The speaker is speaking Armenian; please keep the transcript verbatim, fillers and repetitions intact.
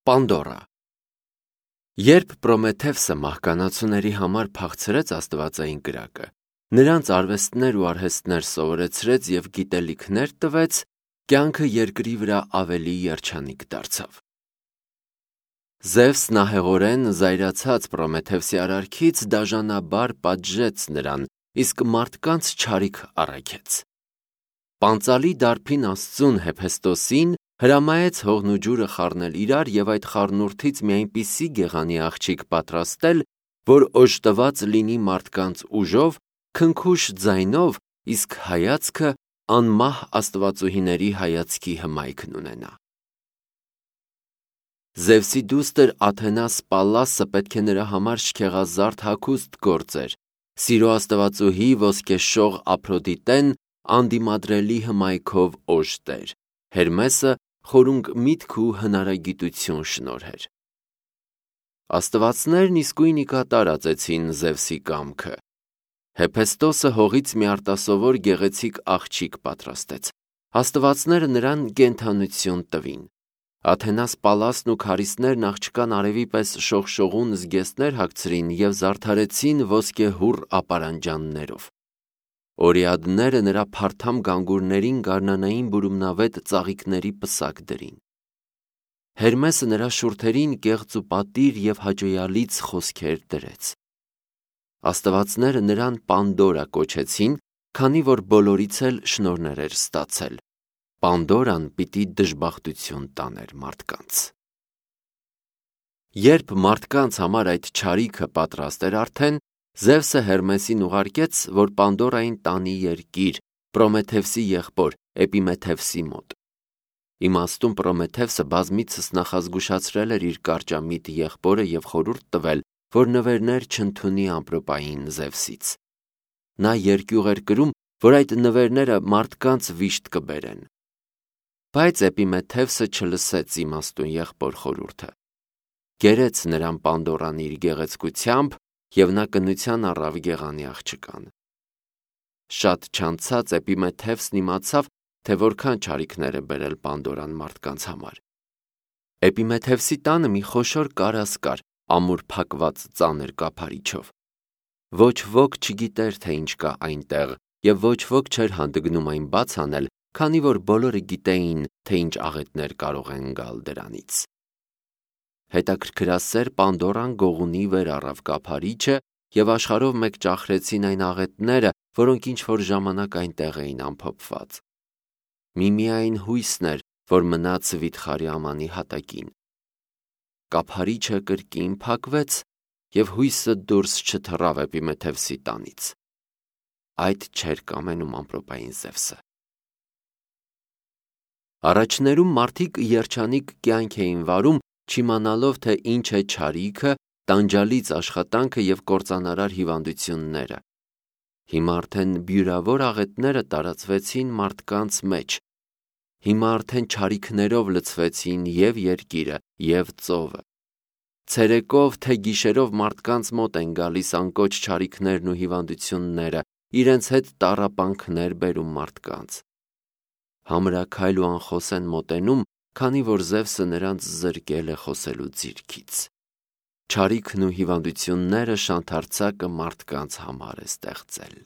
Պանդորա։ Երբ Պրոմեթևսը մահկանացուների համար փախցրեց աստվածային կրակը, նրանց արվեստներ ու արհեստներ սովորեցրեց և գիտելիքներ տվեց, կյանքը երկրի վրա ավելի երջանիկ դարձավ։ Զևսն ահեղորեն զայրացած Պրոմեթևսի արարքից դաժանաբար պատժեց նրան, իսկ մարդկանց չարիք առաքեց։ Պանծալի դարբին աստծուն Հեփեստոսին հրամայեց հողն ու ջուրը խառնել իրար և այդ խառնուրդից մի այնպիսի գեղանի աղջիկ պատրաստել, որ օժտված լինի մարդկանց ուժով, քնքուշ ձայնով, իսկ հայացքը անմահ աստվածուհիների հայացքի հմայքն ունենա։ Զևսի դուստր Աթենաս Պալլասը պետք է նրա համար շքեղազարդ հագուստ գործեր, սիրո աստվածուհի ոսկեշող Ափրոդիտեն անդիմադրելի հմայքով օժտեր, Հերմեսը խորունկ միտք ու հնարագիտություն շնորհեր։ Աստվածներն իսկույն ի կատար ածեցին Զևսի կամքը։ Հեփեստոսը հողից մի արտասովոր գեղեցիկ աղջիկ պատրաստեց։ Աստվածները նրան կենդանություն տվին։ Աթենաս Պալասն ու քարիստներն աղջկան արևի պես շողշողուն զգեստներ հագցրին և զարդարեցին ոսկեհուռ ապարանջաններով։ Օրիադները նրա փարթամ գանգուրներին գարնանային բուրումնավետ ծաղիկների պսակ դրին։ Հերմեսը նրա շուրթերին կեղծ ու պատիր և հաճոյալից խոսքեր դրեց։ Աստվածները նրան Պանդորա կոչեցին, քանի որ բոլորից էլ շնորհներ էր ստացել։ Պանդորան պիտի դժբախտություն տաներ մարդկանց։ Երբ մարդկանց համար այդ չարիքը պատրաստ էր արդեն, Զևսը Հերմեսին ուղարկեց, որ Պանդորային տանի երկիր, Պրոմեթևսի եղբոր Էպիմեթևսի մոտ։ Իմաստուն Պրոմեթևսը բազմիցս նախազգուշացրել էր իր կարճամիտ եղբորը և խորհուրդ տվել, որ նվերներ չընդունի ամպրոպային Զևսից։ Նա երկյուղ էր կրում, որ այդ նվերները մարդկանց վիշտ կբերեն։ Բայց Էպիմեթևսը չլսեց իմաստուն եղբոր խորհուրդը։ Գերեց նրան Պանդորան իր գեղեցկությամբ, և նա կնության առավ գեղանի աղջկան։ Շատ չանցած Էպիմեթևսն իմացավ, թե որքան չարիքներ է բերել Պանդորան մարդկանց համար։ Էպիմեթևսի տանը մի խոշոր կարաս կար, ամուր փակված ծանր կափարիչով։ Ոչ ոք չգիտեր, թե ինչ կա այնտեղ, և ոչ ոք չէր հանդգնում այն բաց անել, քանի որ բոլորը գիտեին, թե ինչ աղետներ կարող են գալ դրանից։ Հետաքրքրասեր Պանդորան գողունի վեր առավ կափարիչը և աշխարհով մեկ ճախրեցին այն աղետները, որոնք ինչ-որ ժամանակ այնտեղ էին ամփոփված։ Միմիայն հույսն էր, որ մնաց վիթխարի ամանի հատակին։ Կափարիչը կրկին փակվեց, և հույսը դուրս չթռավ Էպիմեթևսի տանից։ Այդ չէր կամենում ամպրոպային Զևսը։ Առաջներում մարդիկ երջանիկ կյանք էին վարում, չիմանալով, թե ինչ է չարիքը, տանջալից աշխատանքը և կործանարար հիվանդությունները։ Հիմա արդեն բյուրավոր աղետները տարածվեցին մարդկանց մեջ։ Հիմա արդեն չարիքներով լցվեցին և երկիրը, և ծովը։ Ցերեկով թե գիշերով մարդկանց մոտ են գալիս անկոչ չարիքներն ու հիվանդությունները, իրենց հետ տառապանքներ բերում մարդկանց։ Համրաքայլ ու անխոս են մոտենում, քանի որ Զևսը նրանց զրկել է խոսելու ձիրքից։ Չարիքն ու հիվանդությունները շանթարցակը մարդկանց համար է ստեղծել։